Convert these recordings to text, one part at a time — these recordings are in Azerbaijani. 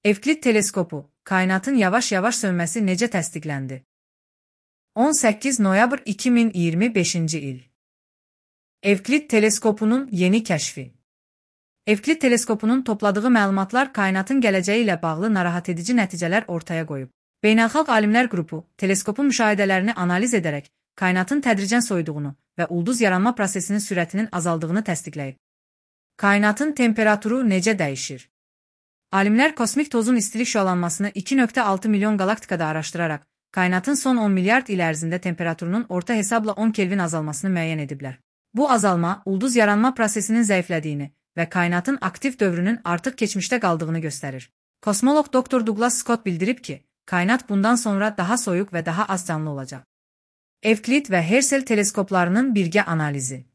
Evklit teleskopu, kainatın yavaş-yavaş sönməsi necə təsdiqləndi? 18 noyabr 2025-ci il. Evklit teleskopunun yeni kəşfi. Evklit teleskopunun topladığı məlumatlar kainatın gələcəyi ilə bağlı narahat edici nəticələr ortaya qoyub. Beynəlxalq alimlər qrupu, teleskopun müşahidələrini analiz edərək, kainatın tədricən soyuduğunu və ulduz yaranma prosesinin sürətinin azaldığını təsdiqləyib. Kainatın temperaturu necə dəyişir? Alimlər kosmik tozun istilik şüalanmasını 2,6 milyon galaktikada araşdıraraq, kainatın son 10 milyard il ərzində temperaturunun orta hesabla 10 Kelvin azalmasını müəyyən ediblər. Bu azalma, ulduz yaranma prosesinin zəiflədiyini və kainatın aktiv dövrünün artıq keçmişdə qaldığını göstərir. Kosmoloq Dr. Douglas Scott bildirib ki, kainat bundan sonra daha soyuq və daha az canlı olacaq. Evklit və Herschel teleskoplarının birgə analizi.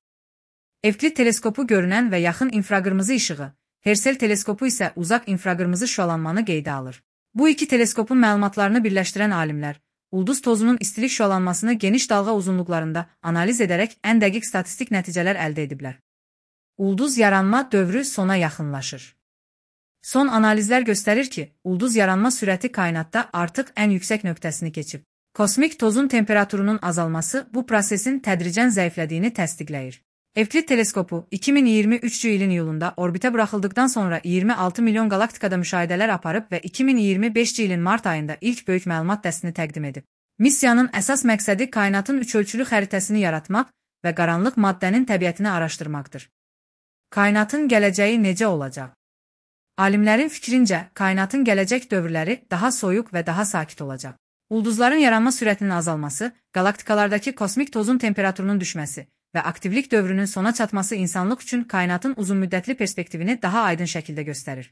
Evklit teleskopu görünən və yaxın infraqırmızı işığı, Herschel teleskopu isə uzaq infraqırmızı şüalanmanı qeydə alır. Bu iki teleskopun məlumatlarını birləşdirən alimlər, ulduz tozunun istilik şüalanmasını geniş dalğa uzunluqlarında analiz edərək ən dəqiq statistik nəticələr əldə ediblər. Ulduz yaranma dövrü sona yaxınlaşır. Son analizlər göstərir ki, ulduz yaranma sürəti kainatda artıq ən yüksək nöqtəsini keçib. Kosmik tozun temperaturunun azalması bu prosesin tədricən zəiflədiyini təsdiqləyir. Evklit teleskopu 2023-cü ilin iyulunda orbitə buraxıldıqdan sonra 26 milyon galaktikada müşahidələr aparıb və 2025-ci ilin mart ayında ilk böyük məlumat dəstini təqdim edib. Missiyanın əsas məqsədi kainatın üçölçülü xəritəsini yaratmaq və qaranlıq maddənin təbiətini araşdırmaqdır. Kainatın gələcəyi necə olacaq? Alimlərin fikrincə, kainatın gələcək dövrləri daha soyuq və daha sakit olacaq. Ulduzların yaranma sürətinin azalması, galaktikalardakı kosmik tozun temperaturunun düşməsi və aktivlik dövrünün sona çatması insanlıq üçün kainatın uzunmüddətli perspektivini daha aydın şəkildə göstərir.